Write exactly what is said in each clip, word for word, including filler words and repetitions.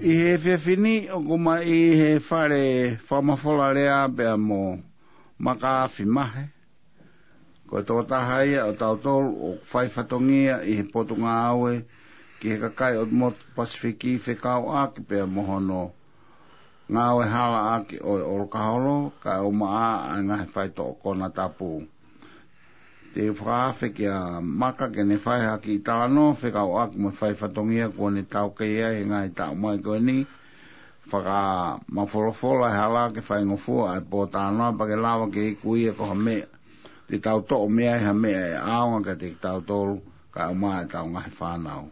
ʻI he efiafi ni ʻoku ma ʻi he fale fakamafola lea pea mo Maka Fimahe. Ko e tokotaha ia ʻo tautolu ʻoku fai fatongia ʻi he potungāue ki he kakai ʻo e motu Pasifiki fekauʻaki pea mo hono ngāue halaʻaki ʻo e ʻolokaholo, kae ʻumaʻā ʻa e ngaahi faitoʻo konatapu. Te u fakaafe kia Maka ke ne fai ha kiʻi talanoa fekauʻaki mo e fai fatongia kuo ne taukei ai he ngaahi taʻu mai ko eni. Fakamafolofola e hala ke faingofua ʻa e pōtalanoa pea ke lava ke iku ia ko ha meʻa te tau toʻo mei ai ha meʻa ʻe ʻaonga kiate kitautolu kae ʻumaʻā ʻetau ngaahi fānau.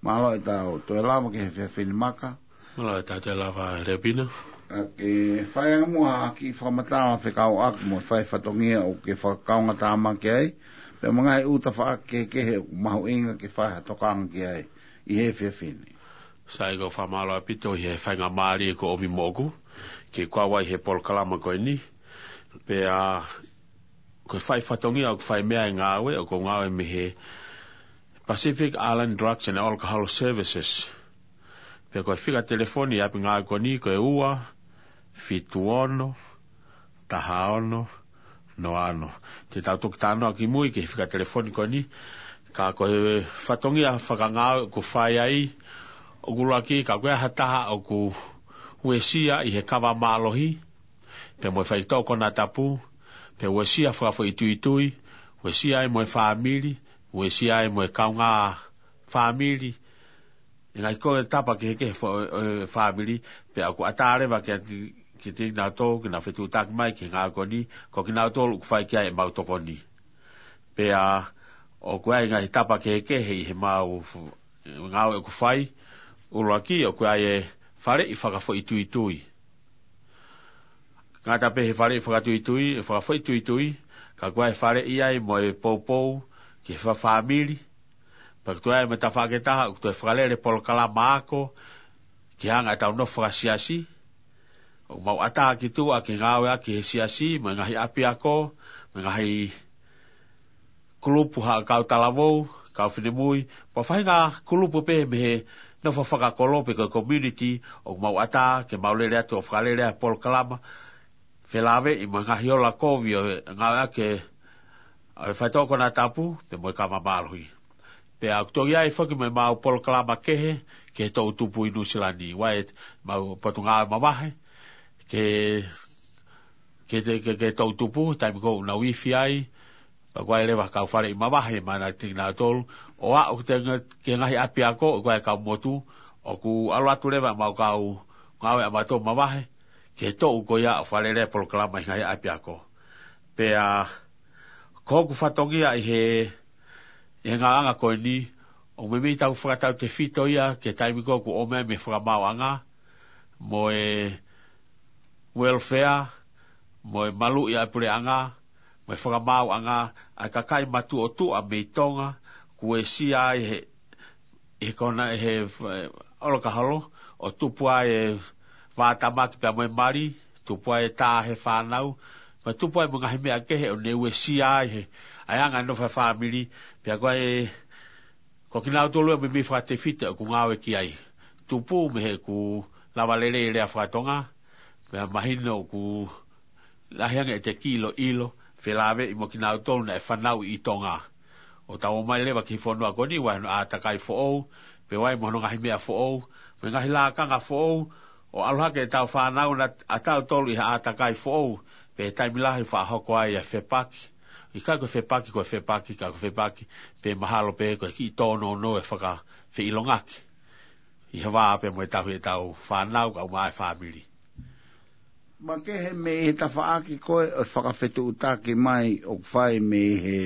Mālō ʻetau toe lava ki he efiafi ni, Maka. Mālō ʻetau toe lava, Leapino. ʻA ke fai ange muʻa ha kiʻi fakamatala fekauʻaki mo e fai fatongia ʻoku ke fakakaungātāmaki ai, pea mo e ngaahi ʻū tafaʻaki kehekehe ʻoku mahuʻinga ke fai ha tokanga ki ai ʻi he efiafi ni. Sai, ʻoku ou fakamālō ʻaupito ʻi he faingamālie kuo ʻomi moʻoku ke u kau ai he polokalama ko eni. Pea ko e fai fatongia ʻoku fai mei ai e ngāue, ʻoku ou ngāue mei he Pacific Island Drugs and Alcohol Services. Pea ko e fika telefoni ʻi ʻapi ngāue ko eni ko e ua fitu ono taha ono noa ono. Te tau toki talanoa kimui ki he fika telefoni ko eni. Ka ko e fatongia fakangāue ʻoku fai ai, ʻoku ʻuluaki, ka ko e hā ha taha ʻoku uesia ʻi he kava mālohi, pea mo e faitoʻo konatapu, pea uesia fakafoʻituitui, uesia ai mo e fāmili, uesia ai mo e kaungā fāmili, e ngaahi konatapu kehekehe fo-, e, fāmili, pea ʻoku ʻatā leva ke, ke, ke kinautolu ke nau fetuʻutaki mai ki he ngāue ko eni, ko kinautolu ʻoku fai ki ai ʻemau tokoni. Pea ʻoku ʻi ai e ngaahi tapu kehekehe ʻi heʻemau fu-, ngāue ʻoku fai, ʻuluaki, ʻoku ʻi ai e faleʻi fakafoʻituitui. Ngata pē he faleʻi fakatuitui, e fakafoʻituitui, ka ʻoku ʻi ai e faleʻi ai mo e poupou ki he fa-, fāmili. Pea ʻoku toe ʻi ai mo e tafaʻaki ʻe taha, ʻoku toe fakalele polokalama ako ki he anga ʻetau nofo fakasiasi. ʻOku mau ʻatā ki tuʻa ke ngāueʻaki he siasi, mo e ngaahi ʻapiako, mo e ngaahi kulupu, haʻa kau talavou, kau finemui, mo e faʻahinga kulupu pē mei he nofo fakakolo pe ko e community, ʻoku mau ʻatā ke mau lele atu ʻo fakalele ʻa e polokalama felāveʻi mo e ngaahi ola kovi ʻo e ngāueʻaki ʻo e faitoʻo konatapu pea mo e kava mālohi. Pea ʻoku toe ʻi ai foki mo ʻemau polokalama kehe ki he toʻutupu ʻi Nuʻusila ni, ʻa ʻemau potungāue mavahe, ke, ke, ke, ke toʻutupu, taimi ko ē ʻoku nau ifi ai, pea ʻoku ʻi ai leva ha kau faleʻi mavahe, mahino kiate kinautolu, ʻo aʻu ki he, ki he ngaahi ʻapiako, ʻoku ʻi ai e kau motu, ʻoku ʻalu atu leva ʻemau kau ngāue ʻamautolu mavahe ki he toʻu ko ia ʻo fakalele e polokalama ʻi he ngaahi ʻapiako. Pea ko hoku fatongia ʻi he, ʻi he ngāueʻanga ko eni, ʻoku meimei tau fakatautefito ia ki he taimi ko ē ʻoku ʻomai mei he fakamaauʻanga, mo e welfare, mo e maluʻi ʻa e puleʻanga, mo e fakamaauʻanga, ʻa e kakai matuʻotuʻa mei Tonga, ʻoku uesia ai he, he kona, he, e, ʻolokaholo, ʻo tupu ai e vātamaki pea mo e mali, tupu ai e tā he fānau, mo e tupu ai mo e ngaahi meʻa kehe ʻoku ne uesia ai he, ʻa e anga e nofo ʻa e fāmili, pea ko e, ko kinautolu ia meimei fakatefito ʻoku ngāue ki ai. Tupu mei heʻeku lava lelei e lea faka-Tonga, pea mahino ʻoku lahi ange ʻete kiʻi ʻiloʻilo, felāveʻi mo kinautolu naʻe fanauʻi ʻi Tonga. ʻO tau ō mai leva ki he fonua ko eni, ʻoku ʻi ai hono ʻātakai foʻou, pea ʻoku ʻi ai mo hono ngaahi meʻa foʻou, mo e ngaahi lakanga foʻou, ʻo ʻalu hake ʻetau fānau naʻa tautolu ʻi he ʻātakai foʻou, pea taimi lahi faʻa hoko ai ʻa e fepaki. ʻIkai ko e fepaki, ko e fepaki, ka ko e fepaki, pea mahalo pē ko e kiʻi tōnounou e fakafeʻilongaki ʻi he vā pea mo e tauhi ʻetau fānau kae ʻumaʻā e fāmili. Makehe mei he tafaʻaki ko ē ʻo e fakafetuʻutaki mai ʻoku fai mei he,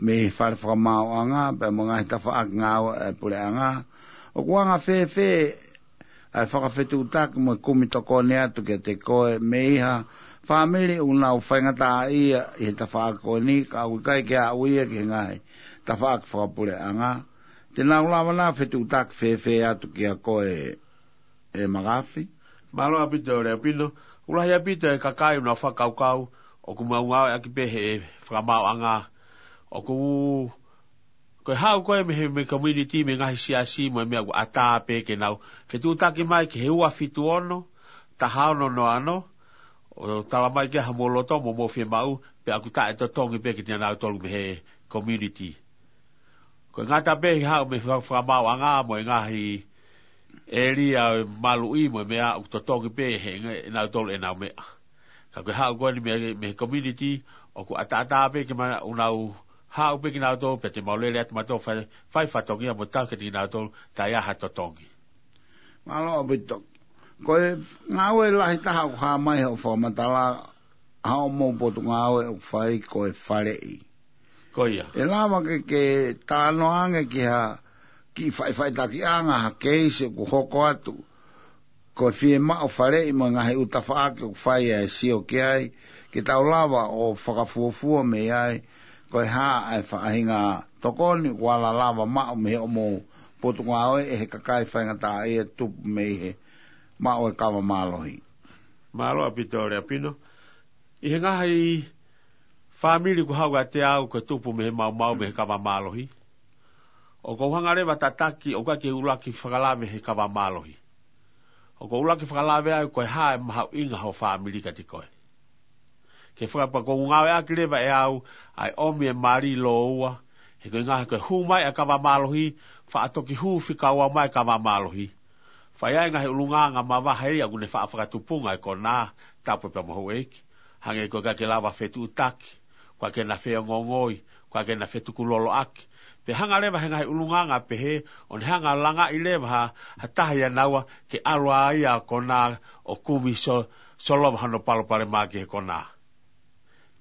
mei he fale fakamaauʻanga, pea mo e ngaahi tafaʻaki ngāue ʻa e puleʻanga. ʻOku anga fēfē ʻa e fakafetuʻutaki mo e kumi tokoni atu kiate koe mei ha fāmili ʻoku nau faingataʻaʻia ʻi he tafaʻaki ko eni, ka ʻoku ʻikai ke aʻu ia ki he ngaahi tafaʻaki fakapuleʻanga? Te nau lava nai ʻo fetuʻutaki fēfē atu kia koe, ʻe Makafi? Mālō ʻaupito, Leapino. ʻOku lahi ʻaupito e kakai ʻoku nau fakakaukau ʻoku mau ngāueʻaki pē he fakamaauʻanga. ʻOku Ko e haʻu ko ē mei he, mei he community, mei he ngaahi siasi mo e meʻa, ʻoku ʻatā pē ke nau fetuʻutaki mai ki he ua fitu ono, taha ono noa ono, ʻo tala mai ki ai hoʻomou loto mo hoʻomou fiemaʻu, pea ʻoku taʻetotongi pē kiate kinautolu mei he community. Ko e ngata pē he haʻu mei he fa-, fakamaauʻanga mo e ngaahi ʻēlia ʻo e maluʻi mo e meʻa, ʻoku totongi pē ʻe he, ʻe nautolu ʻenau meʻa. Ka ko e haʻu ko eni mei, mei he community, ʻoku ʻataʻatā pē ke ma-, ʻoku nau haʻu pē kinautolu, pea te mau lele atu mautolu fai, fai fatongia mo tau kiate kinautolu, taʻe ʻi ai ha totongi. Mālō ʻaupito. Ko e ngāue lahi taha ʻoku hā mai hoʻo fakamatala, hoʻomou potungāue ʻoku fai ko e faleʻi. Ko ia. ʻE lava ke, ke talanoa ange ki ha kiʻi faʻifaʻitakiʻanga, ha keisi ʻoku hoko atu, ko e fiemaʻu faleʻi mo e ngaahi ʻū tafaʻaki ʻoku fai ʻa e sio ki ai, ke tau lava ʻo fakafuofua mei ai, ko e hā ʻa e faʻahinga tokoni ʻoku ala lava maʻu mei hoʻomou potungāue ʻe he kakai faingataʻaʻia tupu mei he maʻu e kava mālohi. Mālō ʻaupito Leapino. ʻI he ngaahi fāmili ʻoku haʻu kiate au ko e tupu mei he maumau mei he kava mālohi, ʻoku ou hanga leva ʻo tataki, ʻoku ʻikai ke u ʻuluaki fakalave he kava mālohi. ʻOku ou ʻuluaki fakalave ai ko e hā e mahuʻinga ho fāmili kiate koe. Ke fakapapau ʻoku ngāueʻaki leva ʻe au ʻa e ʻomi e mali lōua, he ko e ngaahi, ko e hū mai ʻa e kava mālohi, faʻa toki hū fika ua mai e kava mālohi. Fai ai e ngaahi ʻulungaanga mavahe ia ʻoku ne faʻa fakatupunga e konā, tapu pē mo houʻeiki. Hangē ko e ʻikai ke lava fetuʻutaki, ko e ʻikai ke na feongoongoi, ko e ʻikai ke na fetukuloloʻaki. Pea hanga leva he ngaahi ʻulungaanga pehē, ʻo ne hanga ʻo langaʻi leva ha, ha taha ʻia naua ke ʻalu ai ʻa e konā ʻo kumi so-, solova hono palopalema ki he konā.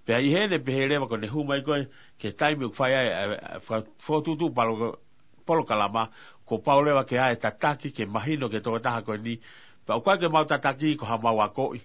Pea ʻi heʻene pehē leva ko ʻene hū mai ko ē ki he taimi ʻoku fai ai, ʻa e, ʻa e, fa-, fokotuʻutuʻu palo-, polokalama, kuo pau leva ke ʻi ai e tataki, ke mahino ki he tokotaha ko eni, pea ʻoku ʻikai ke mau tataki ko haʻamau akoʻi.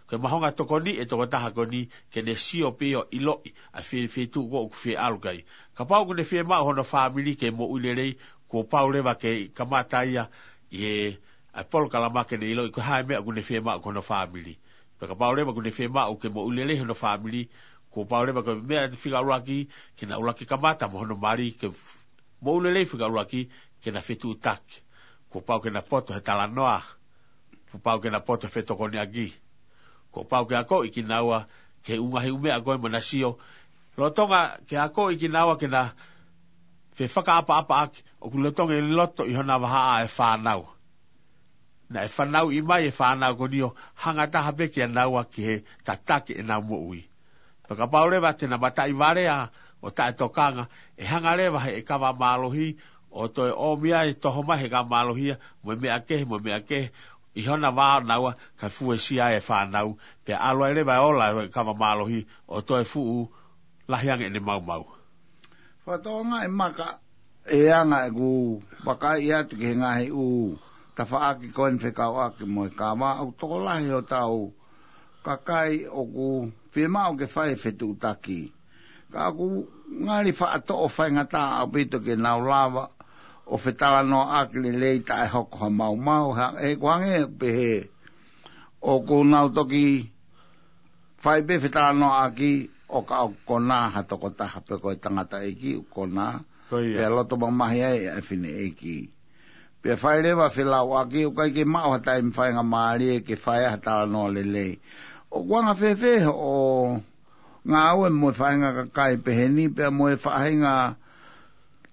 Ko e mahuʻinga tokoni e tokotaha ko eni, ke ne sio pē ʻo ʻiloʻi ʻa e fie-, feituʻu ko ē ʻoku fie ʻalu ki ai. Kapau ʻoku ne fiemaʻu hono fāmili ke moʻui lelei, kuo pau leva ke kamata ia ʻi he, ʻa e polokalama ke ne ʻiloʻi ko e hā e meʻa ʻoku ne fiemaʻu ki hono fāmili. Pea kapau leva ʻoku ne fiemaʻu ke moʻui lelei hono fāmili, kuo pau leva ko e meʻa fika ʻuluaki, ke na ʻuluaki kamata mo hono mali, ke f-, moʻui lelei fika ʻuluaki, ke na fetuʻutaki. Kuo pau ke na poto he talanoa, kuo pau ke na poto he fetokoniʻaki. Kuo pau ke akoʻi kinaua ki he ʻū ngaahi ʻū meʻa ko ē mo na sio. Lolotonga ke akoʻi kinaua ke na fefakaʻapaʻapaʻaki, ʻoku lolotonga ʻi loto ʻi hona vahaʻa e fānau. Naʻe fanauʻi mai e fānau ko eni ʻo hanga taha pē kia naua ki he tataki ʻenau moʻui. Pea kapau leva te na mataʻi valea ʻo taʻetokanga, ʻe hanga leva he, e kava mālohi ʻo toe ʻomi ai, toho mai he kava mālohi ia, mo e meʻa kehe, mo e meʻa kehe, ʻi hona vā ʻo naua, kae fuesia e fānau, pea ʻalu ai leva e ola e kava mālohi ʻo toe fuʻu lahi ange ʻene maumau. Fakatokangaʻi Maka, ʻe anga ʻeku vakai atu ki he ngaahi ʻū tafaʻaki ko eni fekauʻaki mo e kava, ʻoku tokolahi hotau kakai ʻoku fiemaʻu ke fai e fetuʻutaki. Ka ʻoku ngali faʻa toʻo faingataʻa ʻaupito ke nau lava ʻo fetalanoaʻaki lelei taʻe hoko ha maumau, ha, he ʻoku hangē pehē ʻoku nau toki fai pē fetalanoaʻaki ʻo ka ʻoku konā ha tokotaha pe ko e tangataʻeiki ʻoku konā. Ko ia. Pea loto mamahi ai ʻa e fineʻeiki. Pea fai leva felauʻaki ʻoku ʻikai ke maʻu ha taimi faingamālie ke fai ha talanoa lelei. ʻOku anga fēfē hoʻo ngāue mo e faʻahinga kakai pehē ni pea mo e faʻahinga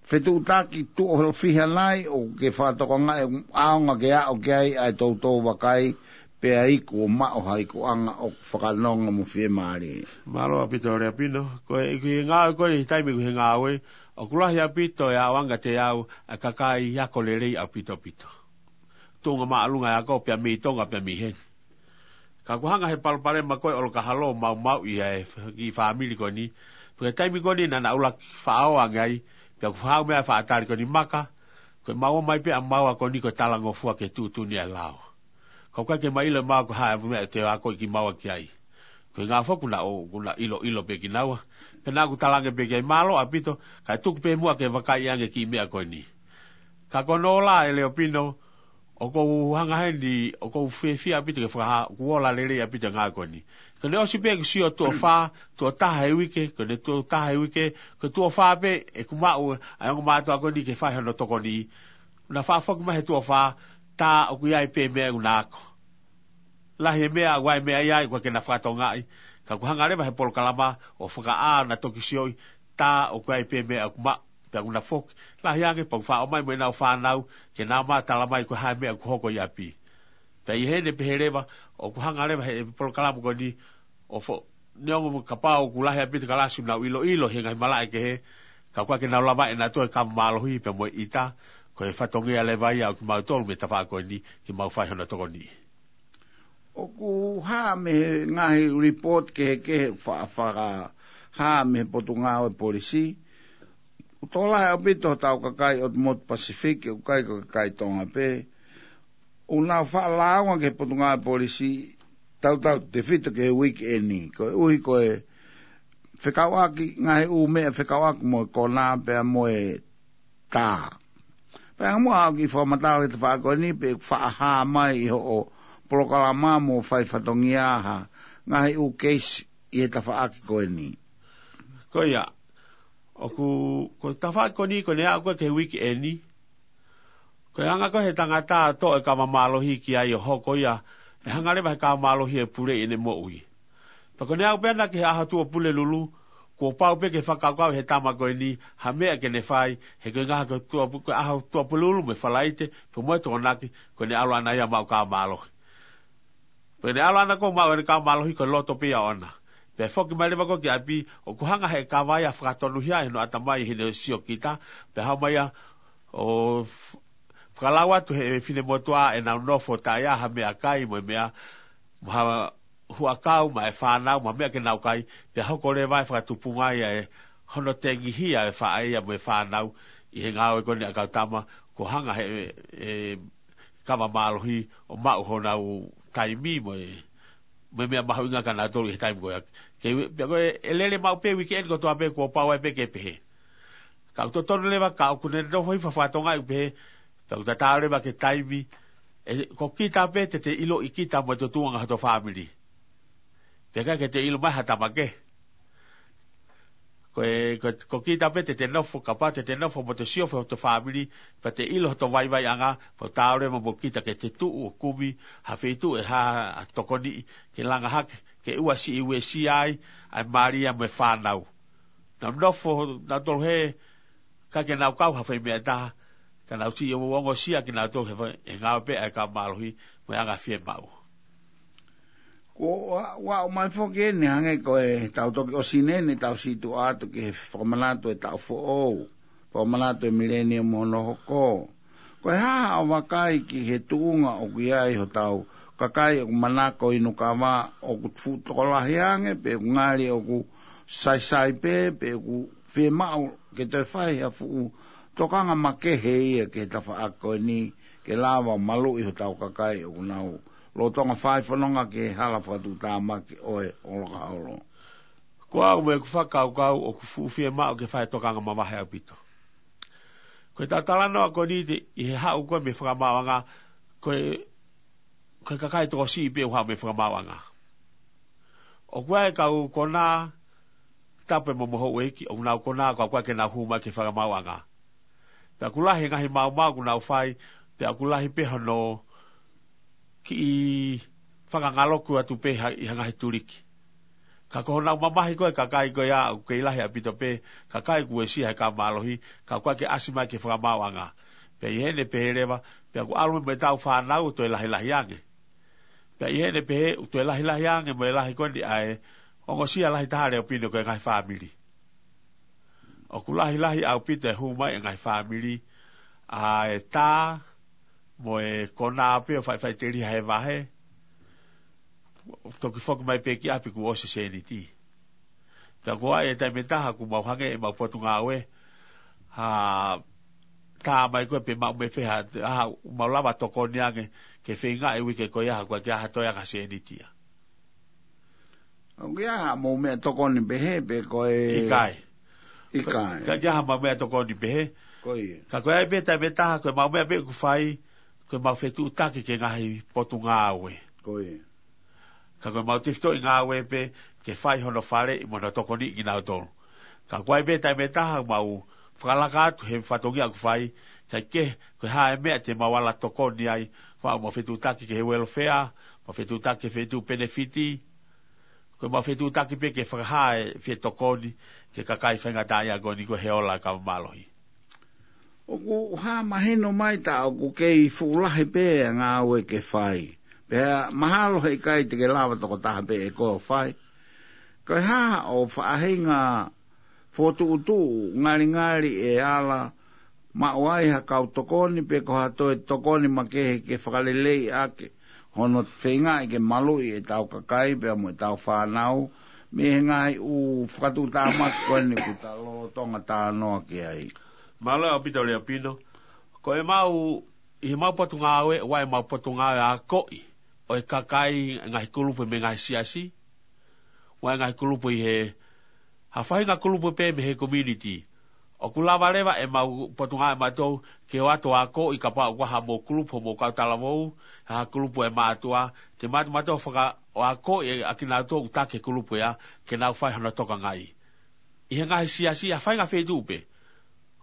fetuʻutaki tuʻo fiha nai ʻoku ke fakatokangaʻi ʻaonga ke aʻu ki ai ʻa e toutou vakai, pea iku ʻo maʻu ha ikuʻanga ʻoku fakanonga mo fiemālie. Mālō ʻaupito Leapino, ko e, ko e ngāue ko eni he taimi ko ē he ngāue, ʻoku lahi ʻaupito e ʻaonga te au ʻa e kakai ako lelei ʻaupito ʻaupito. Tuʻunga māʻolunga e ako pea mei Tonga pea mei heni. Ka ʻoku hanga he palopalema ko ē ʻo e ʻolo kahalo ʻo maumauʻi ʻa e f-, kiʻi fāmili ko eni. Pea ko e taimi ko eni naʻa na ʻuluaki faʻao ange ai, pea ʻoku haʻu mai ʻa e faʻa tali ko eni Maka, ko e maua mai pē ʻa maua ko eni ko e talangofua ki he tuʻutuʻuni ʻa e lao. Ka ʻoku ʻikai ke ma ʻilo ʻe maua ko e hā e meʻa te u akoʻi kimaua ki ai. Ko e ngaahi foʻi kuna ʻo, kuna ʻiloʻilo pē kinaua. Pea naʻa ku talaange pē ki ai mālō ʻaupito, kae tuku pē muʻa ke vakai ange kiʻi meʻa ko eni. Ka ko hono ola ʻe Leapino, ʻOku ou hanga heni, ʻoku ou fiefia ʻaupito ke fakahā, ʻoku ola lelei ʻaupito e ngāue ko eni. Ko ʻene ʻosi pē ʻeku sio tuʻo fā, tuʻo taha he uike, ko ʻene tuʻo taha he uike, ko e tuʻo fā pē, ʻeku maʻu, ʻa e ongo mātuʻa ko eni ke fai hono tokoni. Naʻa faʻa foki mai he tuʻo fā, tā ʻoku ʻi ai pē meʻa ʻoku na ako. Lahi e meʻa, ʻoku ʻi ai meʻa ia, ʻoku ʻikai ke na fakatokangaʻi. Ka ʻoku hanga leva he polokalama, ʻo fakaʻā na toki sioʻi, tā ʻoku ʻi ai pē meʻa ʻoku maʻu, pea ʻoku na foki. Lahi ange, pea ʻoku faʻa ʻomai mo ʻenau fānau, ke nau ō mai ʻo tala mai ko e hā e meʻa ʻoku hoko ʻi ʻapi. Pea ʻi heʻene pehē leva, ʻoku hanga leva he polokalama ko eni, ʻo fo-, neongo kapau ʻoku lahi ʻaupito e kalasi ʻoku nau ʻiloʻilo he ngaahi malaʻe kehe, ka ʻoku ʻikai ke nau lava ʻe nautolu e kava mālohi pea mo e ʻita, ko e fatongia leva ia ʻo kimautolu mei he tafaʻaki ko eni, ke mau fai hono tokoni. ʻOku hā mei he ngaahi report kehekehe ʻoku fa-, fakahā mei he Potungāue Polisi, ʻoku tokolahi ʻaupito hotau kakai ʻotu motu Pasifiki, ʻoku ʻikai ko e kakai Tonga pē. ʻOku nau faʻa lāunga ki he Potungāue Polisi, tautautefito ki he uike eni. Koeʻuhi ko e fekauʻaki, ngaahi ʻū meʻa fekauʻaki mo e konā pea mo e tā. Pea ʻi ai muʻa haʻo kiʻi fakamatala ki he tafaʻaki ko eni pe ʻoku faʻa hā mai ʻi hoʻo polokalama mo fai fatongia ha ngaahi ʻū keisi ʻi he tafaʻaki ko eni. Ko ia, ʻoku, ko e tafaʻaki ko eni, ko ʻene aʻu ko ē ki he uike eni, ko e anga ko ē he tangata ʻo toʻo e kava mālohi ki ai ʻo hoko ia, ʻe hanga leva he kava mālohi ʻo puleʻi ʻene moʻui. Pea ko ʻene aʻu pē ena ki he ʻaho Tuʻapulelulu, kuo pau pē ke fakakaukau he tama ko eni, ha meʻa ke ne fai, he ko e ngaahi ko e Tuʻapu-, ko e ʻaho Tuʻapulelulu mo e Falaite, pea mo e Tokonaki, ko ʻene ʻalu ʻana ia ʻo maʻu kava mālohi. Pea ʻi heʻene ʻalu ʻana ko ē ʻo maʻu ʻene kava mālohi ko e loto pē ia ʻoʻona. Pea foki mai leva ko ē ki ʻapi, ʻoku hanga he kava ia ʻo fakatonuhia ʻi hono ʻatamai ʻi heʻene siokita, pea haʻu mai ia ʻo f-, fakalau atu he finemotuʻa ʻenau nofo taʻe ʻi ai ha meʻakai mo e meʻa, mo ha huʻakau maʻa e fānau, mo ha meʻa ke nau kai, pea hoko leva e fakatupunga ia ʻe hono tengihia e faʻē ia mo e fānau, ʻi he ngāue ko eni ʻa e kau tama, kuo hanga he, e, kava mālohi ʻo maʻu honau taimi mo e, mo e meʻa mahuʻinga kia nautolu ʻi he taimi ko ia. Ke, pea ko e, ʻe lele maʻu pē uike eni kotoa pē kuo pau ai pē ke pehē. Ka ʻoku totonu leva ka ʻoku ne nofo hifo ha fatongia ʻoku pehē, pea ʻoku tatau leva ki he taimi, ʻe, ko kita pē te te ʻiloʻi kita mo e tuʻunga hoto fāmili. Pea ʻikai ke te ʻilo mai ha tama kehe. Ko e, ko, ko kita pē te te nofo, kapau te te nofo mo te siofi hoto fāmili, pea te ʻilo hoto vaivaiʻanga, pea ʻoku taau leva mo kita ke te tuʻu ʻo kumi ha feituʻu ʻe hā ha tokoni ke langa hake, ke ʻoua siʻi uesia ai ʻa e mali ia mo e fānau. Nau nofo nautolu he, ʻikai ke nau kau ha fai meʻa ʻe taha, ka nau siʻi ongosia kinautolu he fai, he ngāue pē ʻa e kava mālohi mo e anga fiemaʻu. Ko ʻa, ʻoku ʻomai foki eni hangē ko e tau toki ʻosi eni, tau siʻi tuʻu atu ki he fakamanatu e taʻu foʻou, fakamanatu e mileniumu hono hoko. Ko e hā haʻo vakai ki he tuʻunga ʻoku ʻi ai hotau kakai ʻoku manako inu kava, ʻoku fuʻu tokolahi ange, pe ʻoku ngali ʻoku saisai pē, pe ʻoku fiemaʻu ke toe fai ha fuʻu tokanga makehe ia ki he tafaʻaki ko eni, ke lava ʻo maluʻi hotau kakai ʻoku nau lolotonga fai fononga ki he hala fakatuʻutāmaki ʻo e ʻolokaholo. Ko au mo ʻeku fakakaukau ʻoku fuʻu fiemaʻu ke fai tokanga mavahe ʻaupito. Ko e tau talanoa ko eni te, ʻi he haʻu ko ē mei he fakamaauʻanga, ko e, ko e kakai tokosiʻi pē ʻoku haʻu mei he fakamaauʻanga. ʻOku ʻi ai e kau konā, tapu mo e houʻeiki, ʻoku nau konā, ka ʻoku ʻikai ke nau hū mai ki he fakamaauʻanga. Pea ʻoku lahi e ngaahi maumau ʻoku nau fai, pea ʻoku lahi pē hono kiʻi fakangaloku atu pē ha-, ʻi ha ngaahi tuliki. Ka ko honau mamahi ko ē kakai ko ia ʻoku kei lahi ʻaupito pē, kakai kuo uesia he kava mālohi, ka ʻoku ʻikai ke ʻasi mai ki he fakamaauʻanga. Pea ʻi heʻene pehē leva, pea ʻoku ʻalu mo ʻetau fānau ʻo toe lahilahi ange. Pea ʻi heʻene pehē, ʻoku toe lahilahi ange mo e lahi ko eni ʻa e ongosia lahi taha ʻa e leʻo pine ko e ngaahi fāmili. ʻOku lahilahi ʻaupito e hū mai e ngaahi fāmili, ʻa e tā, mo e konā pē ʻo faʻifaʻiteliha he vahe, toki foki mai pē ki ʻapi kuo ʻosi e sēniti. Pea ko e taimi ʻe taha ʻoku mau hangē ʻemau potungāue, ha tā mai ko ē pe maʻu mei fē ha, ha, mau lava tokoni ange ke feinga e uike ko ia ha ʻoku ʻikai ke ʻi ai ha toe anga sēniti ia. ʻOku ʻi ai haʻamou meʻatokoni pehē pe ko e? ʻIkai. ʻIkai. ʻIkai ke ʻi ai haʻamau meʻatokoni pehē. Ko ia. Ka ko e ʻai pē taimi ʻe taha, ko ʻemau meʻa pē ʻoku fai, ko ʻemau fetuʻutaki ki he ngaahi potungāue. Ko ia. Ka ko ʻemau tefitoʻi ngāue pē ke fai hono faleʻi mo hono tokoniʻi kinautolu. Ka ʻoku ʻi ai pē taimi ʻe taha ʻoku mau fakalaka atu he fatongia ʻoku fai, kae kehe ko e hā e meʻa te mau ala tokoni ai, ʻoku mau fetuʻutaki ki he welfare, mau fetuʻutaki ki he feituʻu penefiti, ko ʻemau fetuʻutaki pē ke fakahā e fie tokoni ki he kakai faingataʻaʻia ko eni ko e he ola kava mālohi. ʻOku hā mahino mai tā ʻoku kei fuʻu lahi pē ʻa e ngāue ke fai. Pea mahalo he ʻikai te ke lava tokotaha pē ʻe koe ʻo fai. Ko e hā hoʻo faʻahinga fokotuʻutuʻu ngalingali ʻe ala maʻu ai ha kau tokoni pe ko ha toe tokoni makehe ke fakaleleiʻaki hono feingaʻi ke maluʻi ʻetau kakai pea mo ʻetau fānau mei he ngaahi ʻū fakatuʻutāmaki ko eni ʻoku ta lolotonga talanoa ki ai. Mālō ʻaupito Leapino. Ko ʻemau, ʻi heʻemau potungāue, ʻoku ʻi ai ʻemau potungāue akoʻi ʻo e kakai, ngaahi kulupu mei he ngaahi siasi, ʻoku ʻi ai ngaahi kulupu ʻi he, ha faʻahinga kulupu pē mei he community. ʻOku lava leva ʻemau potungāue ʻamautolu ke ʻoatu akoʻi kapau ʻoku ʻi ai haʻamou kulupu, hoʻomou kau talavou, ha kulupu ʻe mātuʻa, te mātuʻa mautolu faka-, ʻo akoʻi ʻa kinautolu ʻoku taki he kulupu ia, ke nau fai hono tokangaʻi. ʻI he ngaahi siasi, ha faʻahinga feituʻu pē.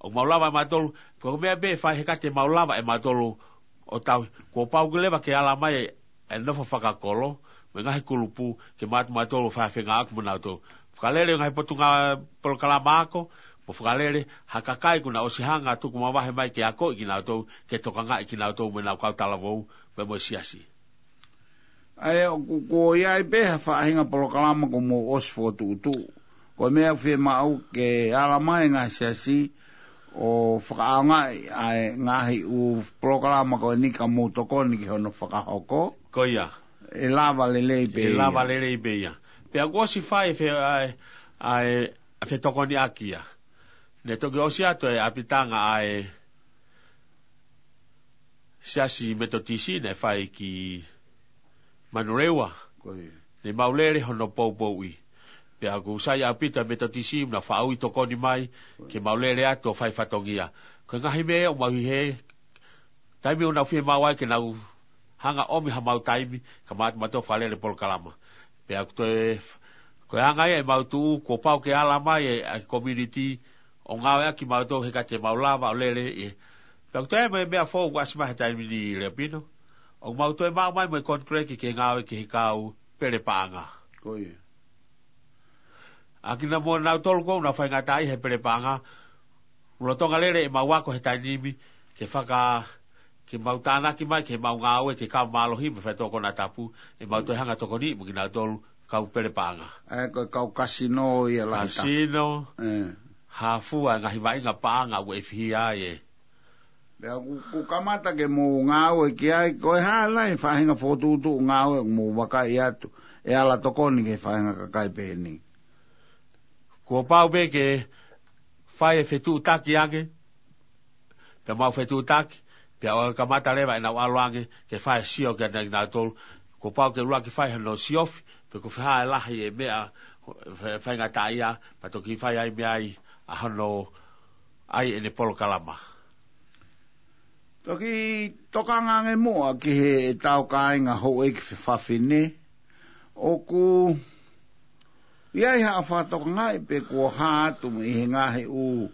ʻOku mau lava ʻe mautolu, ko e meʻa pē ʻe fai he ka te mau lava ʻe mautolu ʻo tauhi, kuo pau ke leva ke ala mai e nofo fakakolo, mo e ngaahi kulupu, ke mātuʻa mautolu fai ha fengāueʻaki mo nautolu. Fakalele ngaahi potungāue polokalama ako, mo fakalele ha kakai kuo nau ʻosi hanga tuku mavahe mai ke akoʻi kinautolu, ke tokangaʻi kinautolu mo ʻenau kau talavou, mo e mo e siasi. ʻA ia ʻoku, kuo ʻi ai pē ha faʻahinga polokalama kuo mou ʻosi fokotuʻutuʻu. Ko e meʻa fiemaʻu ke ala mai ngaahi siasi ʻo fakaʻaongaʻi ʻa e ngaahi ʻū polokalama ko eni ka mou tokoni ki hono fakahoko. Ko ia. ʻE lava lelei pē ia. ʻE lava lelei pē ia. Pea kuo ʻosi fai e fe-, ʻa e, ʻa e, ʻa e fetokoniʻaki ia. Ne toki ʻosi atu e ʻapitanga ʻa e Siasi Metotisi naʻe fai ki Manurewa. Ko ia. Ne mau lele hono poupouʻi. Pea ʻoku sai ʻaupito e Metotisi naʻa nau faʻa ui tokoni mai, ke mau lele atu ʻo fai fatongia. Ko e ngaahi meʻa ʻoku mau ʻi he, taimi ʻoku nau fiemaʻu ai ke nau hanga ʻomi haʻamau taimi, ka mātuʻa mautolu fakalele polokalama. Pea ʻoku toe, ko e anga ia ʻemau tuʻu, kuo pau ke ala mai e, ʻa e community, ʻo ngāueʻaki mautolu he ka te mau lava ʻo lele ʻi he. Pea ʻoku toe ʻi ai mo e meʻa foʻou kuo ʻasi mai he taimi ni Leapino. ʻOku mau toe maʻu mai mo e contract ke ngāue ki he kau pele paʻanga. Ko ia. ʻA kinautolu ko ē ʻoku nau faingataʻaʻia he pele paʻanga, ʻoku lolotonga lele ʻemau ako he taimi ni, ke faka-, ke mau tānaki mai, ke mau ngāue, ke kau mālohi, mo e faitoʻo konatapu, ʻe mau toe hanga tokoni mo kinautolu, kau pele paʻanga. ʻA e ko e kau kasino ia lahi taha. Kasino, ʻE. Hafua, ngaahi vaʻinga paʻanga ʻoku ʻefihia ai ē. Pea ʻoku, ʻoku kamata ke mou ngāue ki ai, ko e hā nai e faʻahinga fokotuʻutuʻu ngāue ʻoku mou vakai atu, ʻe ala tokoni ki he faʻahinga kakai pehē ni. Kuo pau pē ke fai e fetuʻutaki ange, pea mau fetuʻutaki, pea ʻoku kamata leva ʻenau ʻalu ange, ke fai e sio kia kinautolu, kuo pau ke ʻuluaki fai hono siofi, pe ko e fē ha lahi e meʻa, fa-, faingataʻaʻia, pea toki fai ai meʻa ai, ʻa hono ʻai ʻene polokalama. Toki tokanga ange muʻa ki heʻetau kāinga houʻeiki fefine, ʻoku ʻi ai haʻo fakatokangaʻi pe kuo hā atu mei he ngaahi ʻū,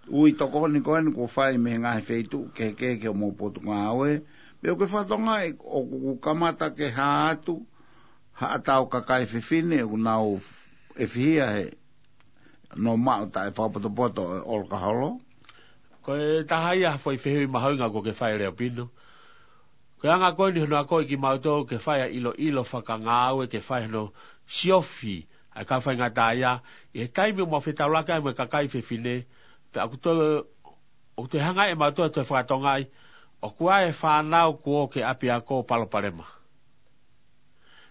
ʻū tokoni ko eni kuo fai mei he ngaahi feituʻu kehekehe ki hoʻomou potungāue, pe ʻoku ke fakatokangaʻi ʻoku kamata ke hā atu haʻatau kakai fefine ʻoku nau ʻefihia he nō maʻu taʻe fakapotopoto ʻo e ʻolokaholo. Ko e taha ia ha foʻi fehuʻi mahuʻinga ʻoku ke fai Leapino. Ko e anga ko eni hono akoʻi kimautolu ke fai ʻa e ʻiloʻilo fakangāue ke fai hono siofi ʻa e kau faingataʻaʻia, ʻi he taimi ʻoku mau fetaulaki ai mo e kakai fefine, pea ʻoku toe, ʻoku toe hanga ʻe mautolu ʻo toe fakatokangaʻi, ʻoku ʻi ai e fānau kuo ō ki he ʻapiako palopalema.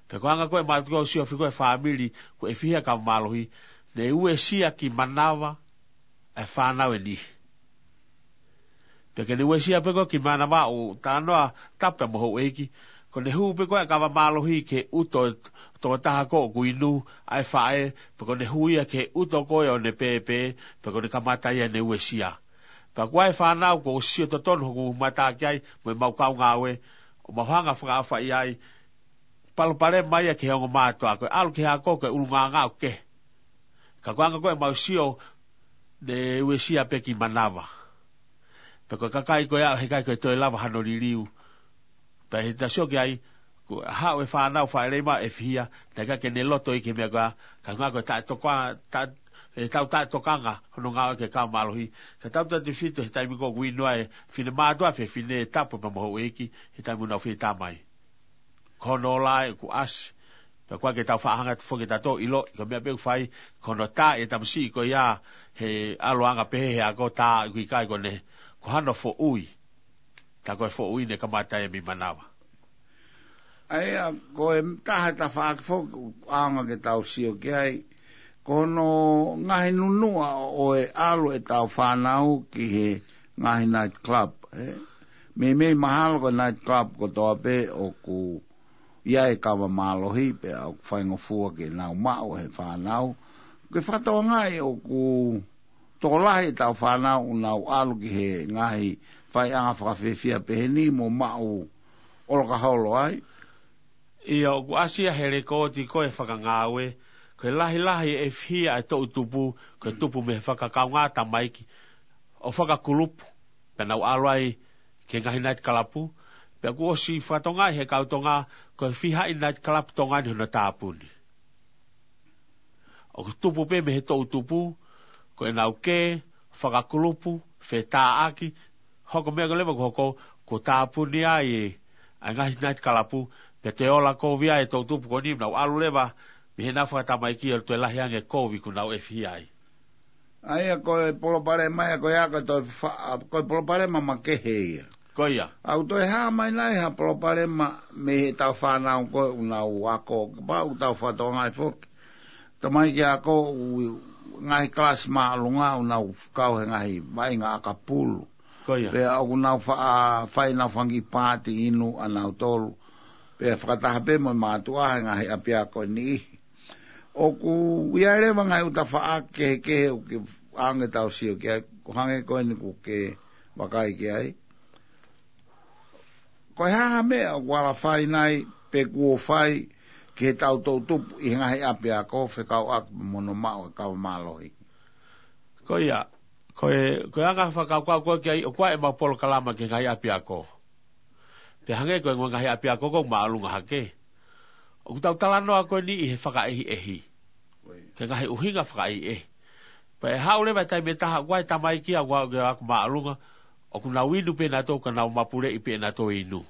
Pea ko e anga ko ē ʻemau siofi ko ē fāmili, kuo ʻefihia kau mālohi, ne uesia ki manava e fānau ʻe niʻihi. Pea ke ne uesia pē ko ē ki manava ʻo talanoa tapu mo houʻeiki, ko ʻene hū pē ko ē ʻa e kava mālohi ki he ʻuto ʻo e tokotaha ko ē ʻoku inu ʻa e faʻē, pea ko ʻene hū ia ki he ʻuto ko ē ʻo ʻene pēpē, pea ko ʻene kamata ia ʻene uesia. Pea ko e fānau ʻoku ou sio totonu hoku mata ki ai, mo ʻemau kau ngāue, ʻo mau hanga ʻo fakaʻaofaʻi ai, palopalema ia ki he ongo mātuʻa, ko e ʻalu ki he ako ko e ʻulungaanga ʻoku kehe. Ka ko e anga ko ē ʻemau sio, ne uesia pē ki manava. Pea ko e kakai ko ia, heʻikai ke toe lava hano liliu. Pea ʻi he tau sio ki ai, ko e haʻu e fānau faʻa lelei mai ʻo fihia, naʻe ʻikai ke ne loto ia ki he meʻa ko ia, ka ko e anga ko e taʻetoka-, taʻe-, ʻetau taʻetokanga, hono ngāue ki he kau mālohi. Ka tau tautefito he taimi ko ē ʻoku inu ai e finemātuʻa, fefine, tapu pea mo houʻeiki, he taimi ʻoku nau fie tā mai. Ko hono ola ē ʻoku ʻasi. Pea ʻoku ʻikai ke tau faʻa hanga atu foki ʻo tau ʻilo, ko e meʻa pē ʻoku fai, ko hono tā e tamasiʻi ko ia, he ʻaluʻanga pehē he ako, tā ʻoku ʻikai ko ʻene, ko hano foʻui. Tā ko e foʻui ne kamata ia mei manava. ʻA ia, ko e taha e tafaʻaki foki ʻoku ʻaonga ke tau sio ki ai, ko hono ngaahi nunuʻa ʻo e ʻalu ʻetau fānau ki he ngaahi night club, ē? Meimei mahalo ko e night club kotoa pē ʻoku ʻi ai e kava mālohi, pea ʻoku faingofua ke nau maʻu he fānau. Ke fakatokangaʻi ʻoku tokolahi ʻetau fānau ʻoku nau ʻalu ki he ngaahi faiʻanga fakafiefia pehē ni mo maʻu ʻolokaholo ai. ʻIo, ʻoku ʻasi ia he lekooti ko ē fakangāue, ko e lahilahi e fihia e toʻu tupu, ko e tupu mei he fakakaungā tamaiki, ʻo fakakulupu, pea nau ʻalu ai ki he ngaahi night club, pea kuo ʻosi fakatokangaʻi he kau Tonga, ko e fiha e night club Tonga ni hono tāpuni. ʻOku tupu pē mei he toʻu tupu, ko ʻenau kē, fakakulupu, fetāʻaki, hoko e meʻa ko ē leva ʻoku hoko, kuo tāpuni ai e, ʻa e ngaahi night club, pea toe ola kovi ai e toʻu tupu ko eni, nau ʻalu leva, mei heʻenau fakatamaiki ʻo toe lahi ange e kovi ʻoku nau fihia ai. ʻA ia ko e palopalema ia ko ia ko e toe fa-, ko e palopalema makehe ia. Ko ia. ʻOku toe hā mai nai ha palopalema mei heʻetau fānau ko ē ʻoku nau ako, kapau ʻoku tau fakatokangaʻi foki. Tamaiki ako ʻoku ngaahi kalasi māʻolunga ʻoku nau kau he ngaahi vaʻinga ʻakapulu. Ko ia. Pea ʻoku nau fa-, fai ʻenau fanga kiʻi pāti inu ʻanautolu. Pea fakataha pē mo e mātuʻa he ngaahi ʻapiako ʻe niʻihi. ʻOku ʻi ai leva ngaahi ʻū tafaʻaki kehekehe ʻoku ke ʻaonga ke tau sio ki ai, ko e hangē ko eni ʻoku ke vakai ki ai. Ko e hā ha meʻa ʻoku ala fai nai pe kuo fai ki heʻetau toʻu tupu ʻi he ngaahi ʻapiako fekauʻaki mo hono maʻu e kava mālohi. Ko ia, ko e, ko e anga fakakaukau ko ē ki ai, ʻoku ʻi ai ʻemau polokalama ki he ngaahi ʻapiako. Pea hangē ko e ngaahi ʻapiako ʻoku māʻolunga hake. ʻOku tau talanoa ko eni ʻi he fakaʻehiʻehi. Ki he ngaahi ʻuhinga fakaʻehiʻehi. Pea ʻe haʻu leva e taimi ʻe taha ʻoku ʻi ai e tamaiki ʻoku ʻalu ki he ako māʻolunga, ʻoku nau inu pē ʻe nautolu ka nau mapuleʻi pē ʻe nautolu e inu.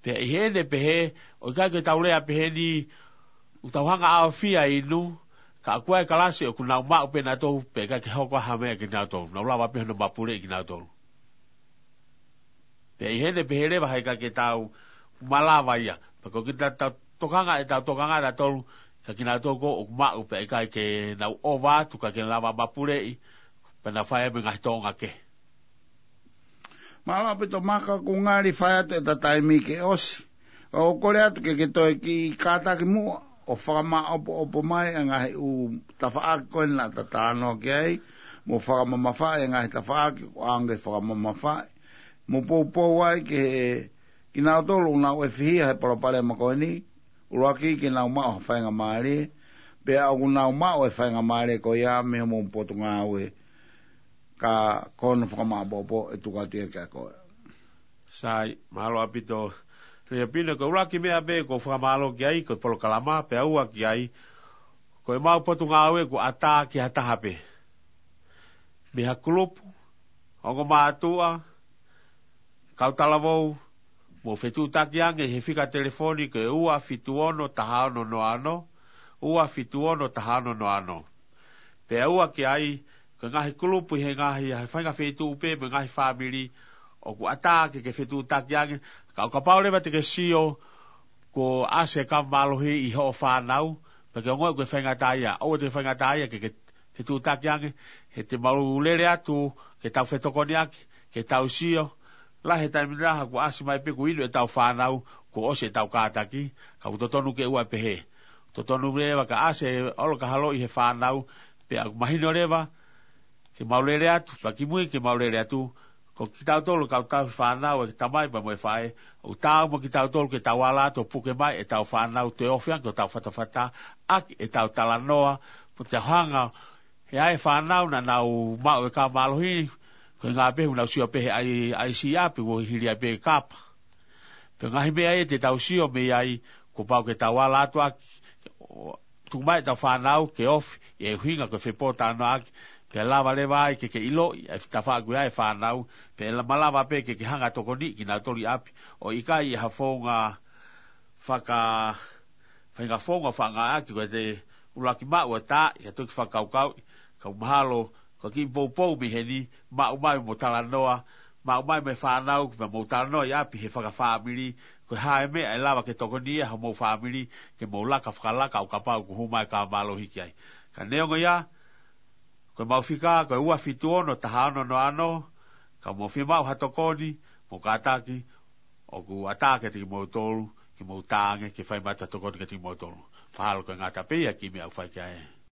Pea ʻi heʻene pehē, ʻoku ʻikai ke tau lea pehē ni, ʻoku tau hanga ʻo ʻaofia e inu, ka ʻoku ʻi ai e kalasi ʻoku nau maʻu pē ʻe nautolu, pea ʻikai ke hoko ha meʻa kiate kinautolu, nau lava pē hono mapuleʻi kinautolu. Pea ʻi heʻene pehē leva heʻikai ke tau malava ia. Pea ko kita tau tokanga ʻetau tokanga ʻe nautolu, ka kinautolu ko ē ʻoku maʻu pea ʻikai ke nau ʻova atu ka ke lava mapuleʻi, pea nau fai ai mo e ngaahi tōʻonga kehe. Mālō ʻaupito Maka, ʻoku ngali fai atu ʻeta taimi ke ʻosi. ʻOku ou kole atu ke ke toe kiʻi kātaki muʻa ʻo fakamāʻopoʻopo mai e ngaahi ʻū tafaʻaki ko ē naʻa ta talanoa ki ai, mo fakamamafaʻi e ngaahi tafaʻaki ʻoku ʻaonga ke fakamamafaʻi. Mo poupou ai ki he kinautolu ʻoku nau fihia he palopalema ko eni, ʻuluaki ke nau maʻu ha faingamālie, pea ʻoku nau maʻu e faingamālie ko ia mei homou potungāue, ka ko hono fakamāʻopoʻopo ʻe tuku atu ia kiate koe. Sai, mālō ʻaupito. Lea pina ko e ʻuluaki meʻa pē ʻoku ou fakamālō ki ai, ko e polokalama, pea ua ki ai, ko ʻemau potungāue ʻoku ʻatā ki ha taha pē. Mei ha kulupu, ongo mātuʻa, kau talavou, mou fetuʻutaki ange he fika telefoni ko e ua fitu ono taha ono noa ono, ua fitu ono taha ono noa ono. Pea ua ki ai, ko e ngaahi kulupu ʻi he ngaahi, ʻi he faʻahinga feituʻu pē mo e ngaahi fāmili, ʻoku ʻatā ke ke fetuʻutaki ange, ka ʻo kapau leva te ke sio, kuo ʻasi e kava mālohi ʻi hoʻo fānau, pea ke ongoʻi ko e faingataʻaʻia, ʻoua te ke faingataʻaʻia ke ke fetuʻutaki ange, he te mau lele atu, ke tau fetokoniʻaki, ke tau sio, lahi e taimi lahi kuo ʻasi mai pē kuo inu ʻetau fānau, kuo ʻosi ʻetau kātaki, ka ʻoku totonu ke ua pehē. Totonu leva ka ʻasi e ʻolokaholo ʻi he fānau, pea ʻoku mahino leva, Ke mau lele atu, fakimui ke mau lele atu, ko kitautolu kau tauhi fānau ʻa e tamai pea mo e faʻē, ʻoku taau mo kitautolu ke tau ala atu ʻo puke mai ʻetau fānau, toe ofi ange ki hotau fatafata, ʻaki ʻetau talanoa, mo te hanga, he ʻa e fānau naʻa nau maʻu e kava mālohi, ko e ngā pē ʻoku nau sio pē he ʻai, ʻai siʻi ʻapi, ʻo hili ai pē kapa. Pea ngaahi meʻa ia te tau sio mei ai, kuo pau ke tau ala atu ʻaki, ʻo tuku mai ʻetau fānau ke ofi, ʻi he ʻuhinga ko e fepōtalanoaʻaki, pea lava leva ai ke ke ʻiloʻi, ʻa e tafaʻaki ʻa e fānau, pea la-, malava pē ke ke hanga tokoniʻi kinautolu ʻi ʻapi, ʻo ʻikai ʻi ha founga faka-, faʻahinga founga faʻa ngāueʻaki, ko e te ʻuluaki maʻu ʻa e taaʻi, ka toki fakakaukauʻi, ka mahalo, ko e kiʻi poupou mei heni, maʻu mai mo talanoa, maʻu mai mo e fānau, pea mou talanoa ʻi ʻapi he fakafāmili, ko e hā e meʻa ʻe lava ke tokoni ia homou fāmili, ke mou laka fakalaka ʻo kapau ʻoku hū mai e kava mālohi ki ai. Ka neongo ia, ko e mau fika, ko e ua fitu ono taha ono noa ono, ka mou fiemaʻu ha tokoni, mou kātaki, ʻoku ʻatā kiate kimoutolu, ke mou tā ange, ke fai mai ʻetau tokoni kiate kimoutolu. Mahalo ko e ngata pē ia e kiʻi meʻa ʻoku fai ki ai.